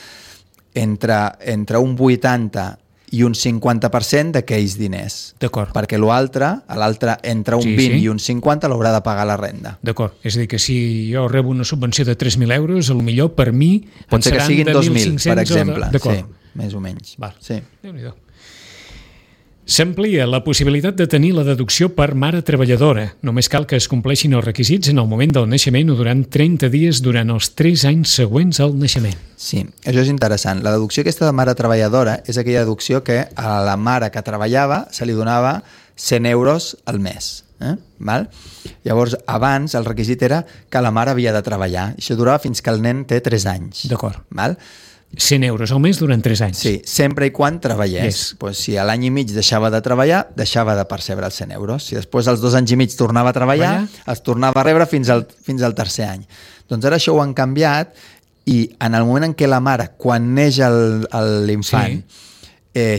Speaker 3: entre un 80 i un 50% d'aquells diners.
Speaker 2: D'acord.
Speaker 3: Perquè l'altre, entre un 20 i un 50 l'haurà de pagar la renda.
Speaker 2: D'acord. És a dir, que si jo rebo una subvenció de 3.000 euros, potser per mi
Speaker 3: pot ser que siguin 2.000, per exemple.
Speaker 2: D'acord.
Speaker 3: Sí, més o menys.
Speaker 2: Val.
Speaker 3: Sí.
Speaker 2: Déu-n'hi-do. S'amplia la possibilitat de tenir la deducció per mare treballadora. Només cal que es compleixin els requisits en el moment del naixement o durant 30 dies durant els 3 anys següents al naixement.
Speaker 3: Sí, això és interessant. La deducció aquesta de mare treballadora és aquella deducció que a la mare que treballava se li donava 100 euros al mes. Val? Llavors, abans el requisit era que la mare havia de treballar. Això durava fins que el nen té 3 anys.
Speaker 2: D'acord.
Speaker 3: Val?
Speaker 2: 100 euros al mes durant 3 anys.
Speaker 3: Sí, sempre i quan treballés. Pues si a l'any i mig deixava de treballar, deixava de percebre els 100 euros. Si després als 2 anys i mig tornava a treballar, els tornava a rebre fins al tercer any. Doncs ara això ho han canviat i en el moment en què la mare, quan neix l'infant,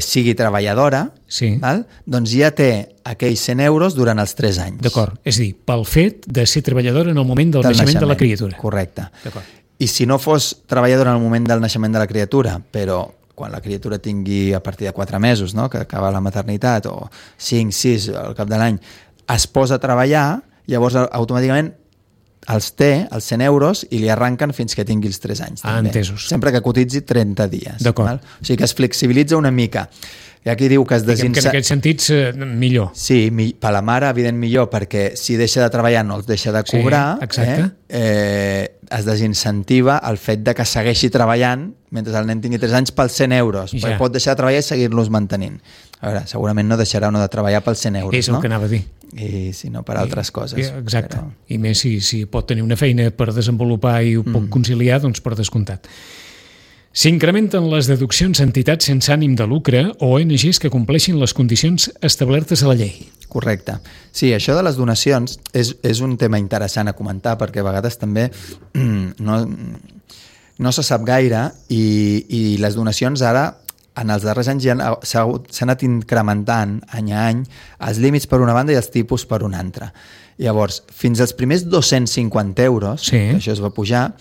Speaker 3: sigui treballadora, val? Doncs ja té aquells 100 euros durant els 3 anys.
Speaker 2: D'acord, és a dir, pel fet de ser treballadora en el moment del naixement de la criatura.
Speaker 3: Correcte. D'acord. I si no fos treballadora en el moment del naixement de la criatura, però quan la criatura tingui a partir de 4 mesos, no? Que acaba la maternitat, o 5, 6 al cap de l'any, es posa a treballar, llavors automàticament els té, els 100 euros, i li arranquen fins que tingui els 3 anys.
Speaker 2: Entesos.
Speaker 3: Sempre que cotitzi 30 dies.
Speaker 2: D'acord.
Speaker 3: O sigui que es flexibilitza una mica. I aquí diu que es
Speaker 2: que en aquest sentit millor.
Speaker 3: Sí, per la mare, evident, millor, perquè si deixa de treballar no els deixa de cobrar. Es desincentiva el fet de que segueixi treballant mentre el nen tingui 3 anys pels 100 euros. Perquè pot deixar de treballar i seguir-los mantenint. A veure, segurament no deixarà de treballar pels 100 euros.
Speaker 2: És el que anava a dir.
Speaker 3: I si no per altres coses.
Speaker 2: Exacte. I més si pot tenir una feina per desenvolupar i ho pot conciliar, doncs per descomptat. S'incrementen les deduccions a entitats sense ànim de lucre o ONGs que compleixin les condicions establertes a la llei.
Speaker 3: Correcte. Sí, això de les donacions és un tema interessant a comentar perquè a vegades també no se sap gaire i les donacions ara en els darrers anys s'han anat incrementant any a any els límits per una banda i els tipus per una altra. Llavors, fins als primers 250 euros, que això es va pujar,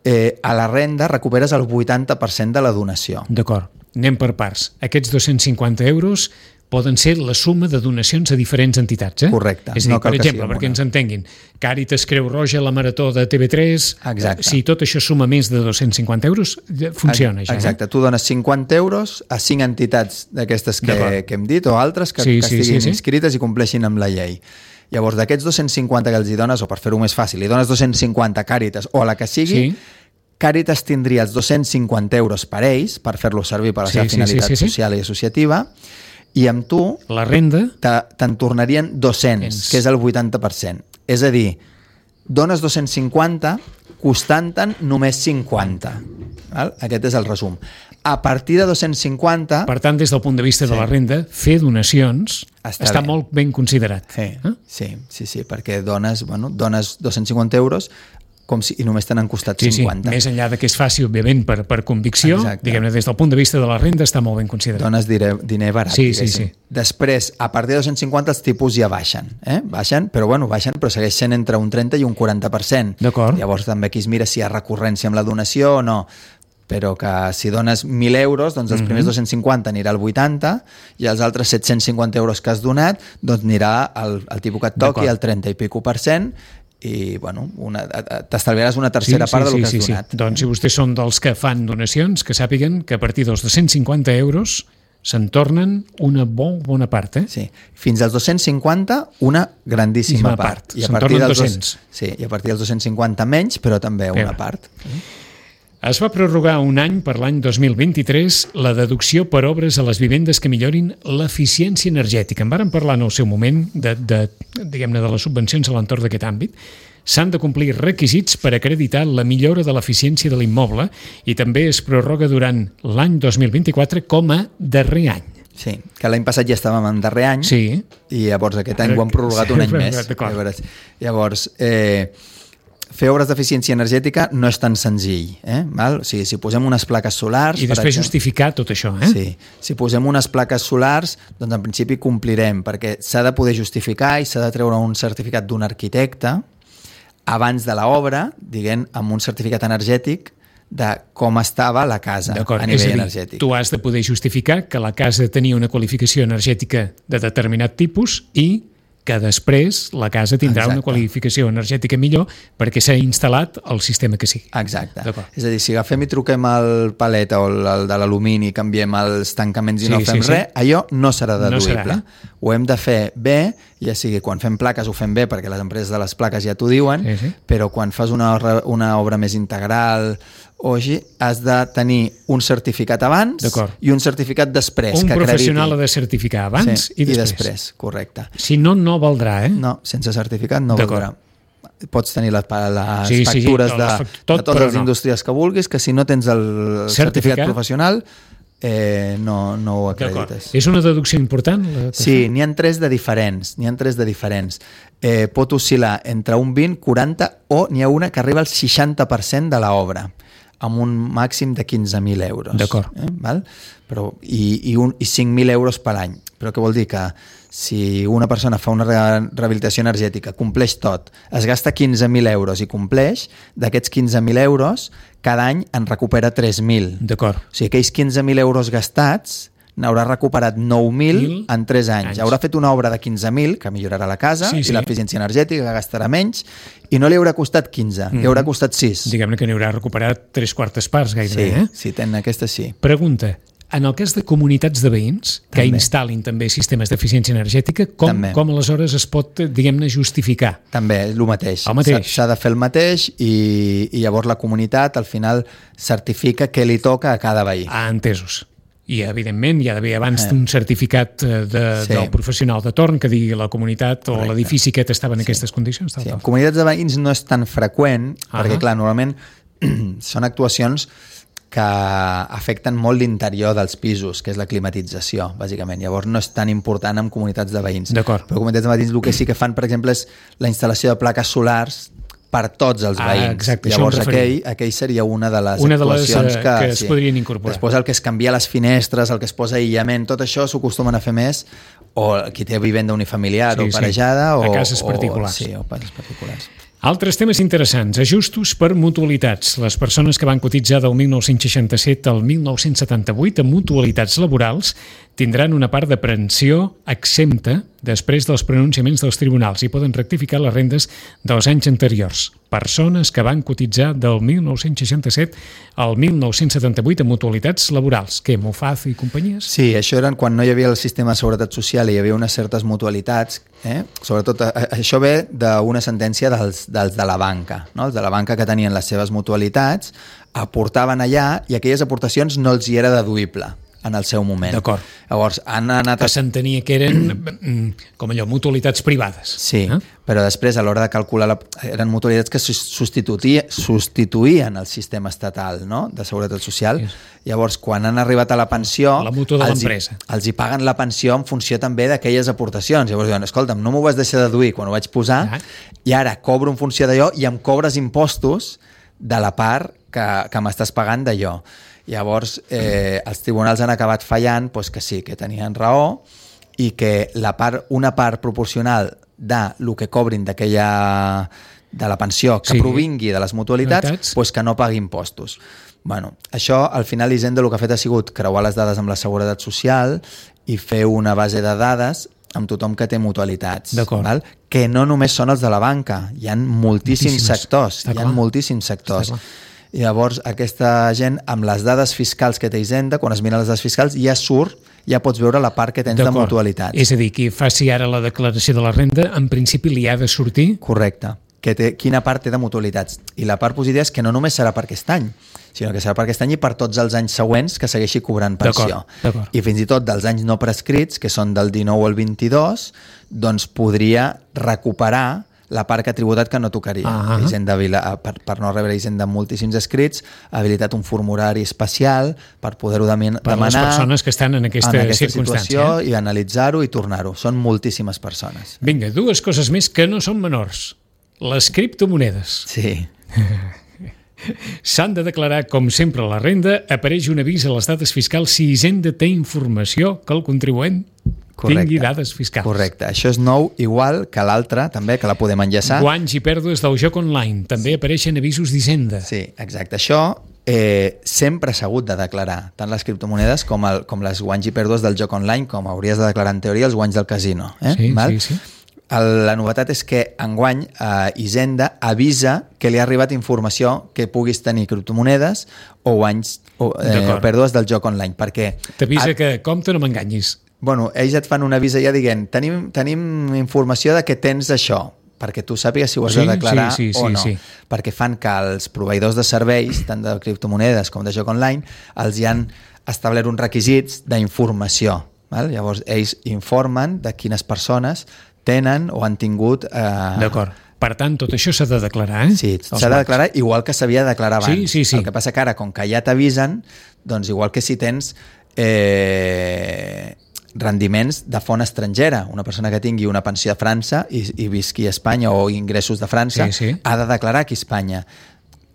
Speaker 3: a la renda recuperes el 80% de la donació.
Speaker 2: D'acord, anem per parts. Aquests 250 euros poden ser la suma de donacions a diferents entitats,
Speaker 3: Correcte.
Speaker 2: És a dir, per exemple, perquè ens entenguin, Càritas, Creu Roja, la Marató de TV3, si tot això suma més de 250 euros, funciona ja.
Speaker 3: Exacte, tu dones 50 euros a 5 entitats d'aquestes que hem dit, o altres que estiguin inscrites i compleixin amb la llei. Llavors, d'aquests 250 que els hi dones, o per fer-ho més fàcil, li dones 250 a Càritas o a la que sigui, Càritas tindria els 250 euros per ells, per fer-lo servir per a la seva finalitat social i associativa, i amb tu
Speaker 2: la renda
Speaker 3: te'n tornarien 200, que és el 80%. És a dir, dones 250 costant-te'n només 50. Val? Aquest és el resum. A partir de 250...
Speaker 2: Per tant, des del punt de vista de la renda, fer donacions està molt ben considerat.
Speaker 3: Sí, perquè dones 250 euros i només te n'han costat 50.
Speaker 2: Més enllà de que és fàcil, òbviament, per convicció, diguem-ne, des del punt de vista de la renda està molt ben considerat.
Speaker 3: Dones diner barat.
Speaker 2: Sí.
Speaker 3: Després, a partir de 250, els tipus ja baixen. Baixen, però segueix sent entre un 30 i un 40%.
Speaker 2: D'acord.
Speaker 3: Llavors també aquí es mira si hi ha recurrència amb la donació o no. Però que si dones 1.000 euros, doncs els primers 250 anirà al 80 i els altres 750 euros que has donat doncs anirà al tipus que et toqui, al 30 i pico %, i t'estalviaràs una tercera part del que has donat.
Speaker 2: Doncs si vostès són dels que fan donacions, que sàpiguen que a partir dels 250 euros se'n tornen una bona part.
Speaker 3: Sí, fins als 250 una grandíssima part.
Speaker 2: I se'n tornen 200.
Speaker 3: Sí, i a partir dels 250 menys, però també una part.
Speaker 2: Es va prorrogar un any per l'any 2023 la deducció per obres a les vivendes que millorin l'eficiència energètica. En vàrem parlar en el seu moment diguem-ne, de les subvencions a l'entorn d'aquest àmbit. S'han de complir requisits per acreditar la millora de l'eficiència de l'immoble i també es prorroga durant l'any 2024 com a darrer any.
Speaker 3: Sí, que l'any passat ja estàvem en darrer any i llavors aquest any ho han prorrogat un any més. Llavors, fer obres d'eficiència energètica no és tan senzill. Val? O sigui, si posem unes plaques solars...
Speaker 2: I després justificar tot això.
Speaker 3: Sí, si posem unes plaques solars, doncs en principi complirem, perquè s'ha de poder justificar i s'ha de treure un certificat d'un arquitecte abans de l'obra, diguem, amb un certificat energètic de com estava la casa a nivell energètic.
Speaker 2: Tu has de poder justificar que la casa tenia una qualificació energètica de determinat tipus i que després la casa tindrà una qualificació energètica millor perquè s'ha instal·lat el sistema que sigui.
Speaker 3: Exacte. És a dir, si agafem i truquem el palet o el de l'alumini i canviem els tancaments i no fem res, allò no serà deduïble. Ho hem de fer bé, ja sigui quan fem plaques ho fem bé perquè les empreses de les plaques ja t'ho diuen, però quan fas una obra més integral o així, has de tenir un certificat abans i un certificat després.
Speaker 2: Un professional ha de certificar abans i després.
Speaker 3: Correcte.
Speaker 2: Si no, no valdrà,
Speaker 3: No, sense certificat no valdrà. Pots tenir les factures de totes les indústries que vulguis, que si no tens el certificat professional no ho acredites.
Speaker 2: És una deducció important?
Speaker 3: Sí, n'hi ha tres de diferents. Pot oscil·lar entre un 20, 40 o n'hi ha una que arriba al 60% de l'obra, amb un màxim de 15.000 euros.
Speaker 2: D'acord.
Speaker 3: I 5.000 euros per any. Però què vol dir? Que si una persona fa una rehabilitació energètica, compleix tot, es gasta 15.000 euros i compleix, d'aquests 15.000 euros, cada any en recupera 3.000.
Speaker 2: D'acord.
Speaker 3: O sigui, aquells 15.000 euros gastats n'haurà recuperat 9.000 en 3 anys. Haurà fet una obra de 15.000, que millorarà la casa i l'eficiència energètica, que gastarà menys, i no li haurà costat 15, li haurà costat 6.
Speaker 2: Diguem-ne que n'hi haurà recuperat 3/4 parts gairebé.
Speaker 3: Sí, tenen aquesta sí.
Speaker 2: Pregunta, en el cas de comunitats de veïns que instal·lin també sistemes d'eficiència energètica, com aleshores es pot, diguem-ne, justificar?
Speaker 3: També, és el mateix. S'ha de fer el mateix i llavors la comunitat al final certifica què li toca a cada veí.
Speaker 2: Entesos. I, evidentment, hi ha d'haver abans un certificat del professional de torn que digui la comunitat o l'edifici que estava en aquestes condicions.
Speaker 3: En comunitats de veïns no és tan freqüent, perquè, clar, normalment són actuacions que afecten molt l'interior dels pisos, que és la climatització, bàsicament. Llavors no és tan important en comunitats de veïns.
Speaker 2: D'acord.
Speaker 3: Però comunitats de veïns el que sí que fan, per exemple, és la instal·lació de plaques solars per tots els veïns.
Speaker 2: Exacte,
Speaker 3: llavors aquell seria una de les actuacions que
Speaker 2: es podrien incorporar.
Speaker 3: Després el que es canvia les finestres, el que es posa aïllament, tot això s'ho acostumen a fer més o qui té vivenda unifamiliar o parejada
Speaker 2: a cases particulars.
Speaker 3: O cases particulars.
Speaker 2: Altres temes interessants, ajustos per mutualitats. Les persones que van cotitzar del 1967 al 1978 en mutualitats laborals tindran una part de pensió exempta després dels pronunciaments dels tribunals i poden rectificar les rendes dels anys anteriors. Persones que van cotitzar del 1967 al 1978 en mutualitats laborals. Què, Mofaz i companyies?
Speaker 3: Sí, això eren quan no hi havia el sistema de seguretat social i hi havia unes certes mutualitats. Sobretot això ve d'una sentència dels de la banca. No? Els de la banca que tenien les seves mutualitats aportaven allà i aquelles aportacions no els hi era deduïble en el seu moment.
Speaker 2: D'acord.
Speaker 3: Llavors han anat...
Speaker 2: Que s'entenia que eren com allò, mutualitats privades.
Speaker 3: Sí, però després a l'hora de calcular eren mutualitats que substituïen el sistema estatal, no? De seguretat social. Llavors, quan han arribat a la pensió...
Speaker 2: La mútua de l'empresa.
Speaker 3: Els hi paguen la pensió en funció també d'aquelles aportacions. Llavors diuen, escolta'm, no m'ho vas deixar deduir quan ho vaig posar i ara cobro en funció d'allò i em cobres impostos de la part que m'estàs pagant d'allò. Llavors, els tribunals han acabat fallant que sí, que tenien raó i que una part proporcional de lo que cobrin de la pensió que provingui de les mutualitats, que no pagui impostos. Bueno, això, al final, Hisenda el que ha fet ha sigut creuar les dades amb la Seguretat Social i fer una base de dades amb tothom que té mutualitats. Que no només són els de la banca, hi ha moltíssims sectors. I llavors aquesta gent, amb les dades fiscals que té Hisenda, quan es miren les dades fiscals, ja pots veure la part que tens de mutualitats.
Speaker 2: És a dir, qui faci ara la declaració de la renda, en principi li ha de sortir...
Speaker 3: Correcte. Quina part té de mutualitats. I la part positiva és que no només serà per aquest any, sinó que serà per aquest any i per tots els anys següents que segueixi cobrant pensió.
Speaker 2: D'acord.
Speaker 3: I fins i tot dels anys no prescrits, que són del 19 al 22, doncs podria recuperar la part que ha tributat que no tocaria. Hisenda, per no rebre Hisenda amb moltíssims escrits, ha habilitat un formulari especial per poder-ho demanar
Speaker 2: per les persones que estan en aquesta
Speaker 3: situació i analitzar-ho i tornar-ho. Són moltíssimes persones.
Speaker 2: Vinga, 2 coses més que no són menors. Les criptomonedes.
Speaker 3: Sí.
Speaker 2: S'han de declarar, com sempre, la renda. Apareix un avís a les dades fiscals si Hisenda té informació que el contribuent tingui dades fiscals.
Speaker 3: Correcte. Això és nou, igual que l'altre, també, que la podem enllaçar.
Speaker 2: Guanys i pèrdues del joc online. També apareixen avisos d'Hisenda.
Speaker 3: Sí, exacte. Això sempre s'ha hagut de declarar, tant les criptomonedes com les guanys i pèrdues del joc online, com hauries de declarar en teoria els guanys del casino.
Speaker 2: Sí.
Speaker 3: La novetat és que enguany Hisenda avisa que li ha arribat informació que puguis tenir criptomonedes o guanys o pèrdues del joc online, perquè
Speaker 2: t'avisa que compte, no m'enganyis.
Speaker 3: Bueno, ells et fan un avís ja dient tenim informació de que tens això, perquè tu sàpigues si ho has de declarar o no. Perquè fan que els proveïdors de serveis, tant de criptomonedes com de joc online, els hi han establert uns requisits d'informació. Llavors, ells informen de quines persones tenen o han tingut...
Speaker 2: D'acord. Per tant, tot això s'ha de declarar,
Speaker 3: Sí, s'ha de declarar igual que s'havia de declarar abans.
Speaker 2: Sí.
Speaker 3: El que passa que ara, com que ja t'avisen, doncs igual que si tens rendiments de font estrangera, una persona que tingui una pensió a França i visqui a Espanya o ingressos de França, ha de declarar aquí a Espanya.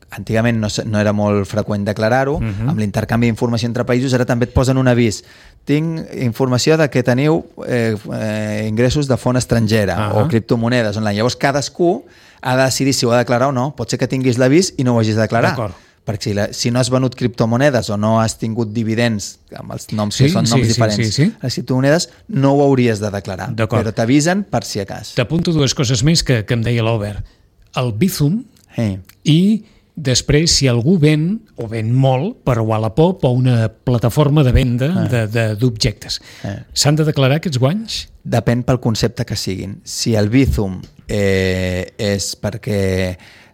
Speaker 3: Antigament no era molt freqüent declarar-ho, amb l'intercanvi d'informació entre països ara també et posen un avís. Tinc informació de que teniu ingressos de font estrangera o criptomonedes online. Llavors cadascú ha de decidir si ho ha de declarar o no. Pot ser que tinguis l'avís i no ho hagis de declarar. Perquè si no has venut criptomonedes o no has tingut dividends amb els noms que són noms diferents, les criptomonedes no ho hauries de declarar, però t'avisen per si a cas.
Speaker 2: T'apunto 2 coses més que em deia l'Albert. El Bizum i després, si algú ven, o ven molt, per Wallapop o una plataforma de venda d'objectes, s'han de declarar aquests guanys?
Speaker 3: Depèn pel concepte que siguin. Si el Bizum és perquè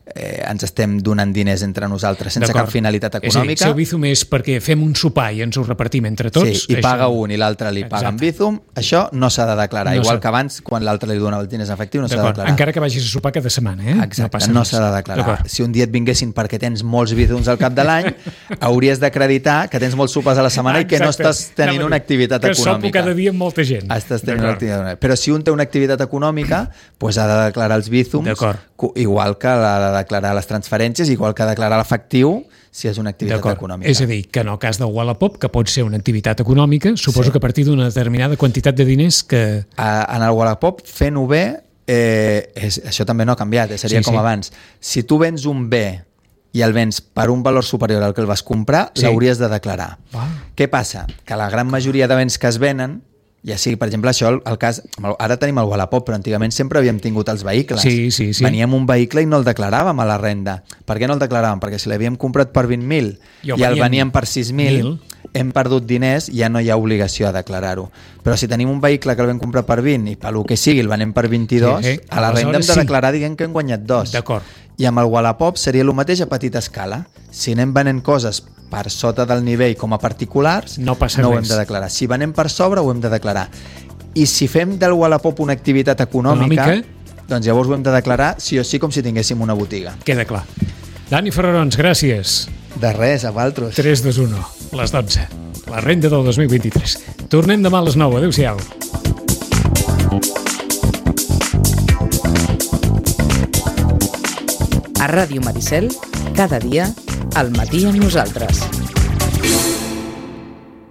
Speaker 3: ens estem donant diners entre nosaltres sense cap finalitat econòmica...
Speaker 2: Si el Bizum és perquè fem un sopar i ens ho repartim entre tots...
Speaker 3: Sí, i paga un i l'altre li paga en Bizum, això no s'ha de declarar. Igual que abans, quan l'altre li donava els diners en efectiu, no s'ha de declarar.
Speaker 2: Encara que vagis a sopar cada setmana,
Speaker 3: Exacte, no s'ha de declarar. Si un dia et vinguessin perquè tens molts Bizums al cap de l'any, hauries d'acreditar que tens molts sopars a la setmana i que no estàs tenint una activitat econòmica.
Speaker 2: Que sopo cada dia amb molta gent.
Speaker 3: Estàs tenint una activitat econòmica. Però si un té una activitat econòmica, doncs ha de declarar els Bizums, igual que ha de declarar les transferències, igual que declarar l'efectiu si és una activitat econòmica.
Speaker 2: És a dir, que en el cas del Wallapop, que pot ser una activitat econòmica, suposo que a partir d'una determinada quantitat de diners que...
Speaker 3: En el Wallapop, fent-ho bé, això també no ha canviat, seria com abans. Si tu vens un bé i el vens per un valor superior al que el vas comprar, l'hauries de declarar. Què passa? Que la gran majoria de béns que es venen, ja sigui, per exemple, això, el cas... Ara tenim el Wallapop, però antigament sempre havíem tingut els vehicles.
Speaker 2: Sí.
Speaker 3: Veníem un vehicle i no el declaràvem a la renda. Per què no el declaràvem? Perquè si l'havíem comprat per 20.000 i el veníem per 6.000, hem perdut diners i ja no hi ha obligació a declarar-ho. Però si tenim un vehicle que el vam comprar per 20 i pel que sigui el venem per 22, a la renda hem de declarar, diguem que hem guanyat 2.
Speaker 2: D'acord.
Speaker 3: I amb el Wallapop seria el mateix a petita escala. Si anem venent coses per sota del nivell com a particulars, no ho hem de declarar. Si venem per sobre, ho hem de declarar. I si fem del Wallapop una activitat econòmica, doncs llavors ho hem de declarar sí o sí com si tinguéssim una botiga.
Speaker 2: Queda clar. Dani Ferrarons, gràcies.
Speaker 3: De res, a vosaltres.
Speaker 2: 3, 2, 1, les 12. La renda del 2023. Tornem demà a les 9. Adéu-siau.
Speaker 1: A Ràdio Maricel, cada dia, al matí amb nosaltres.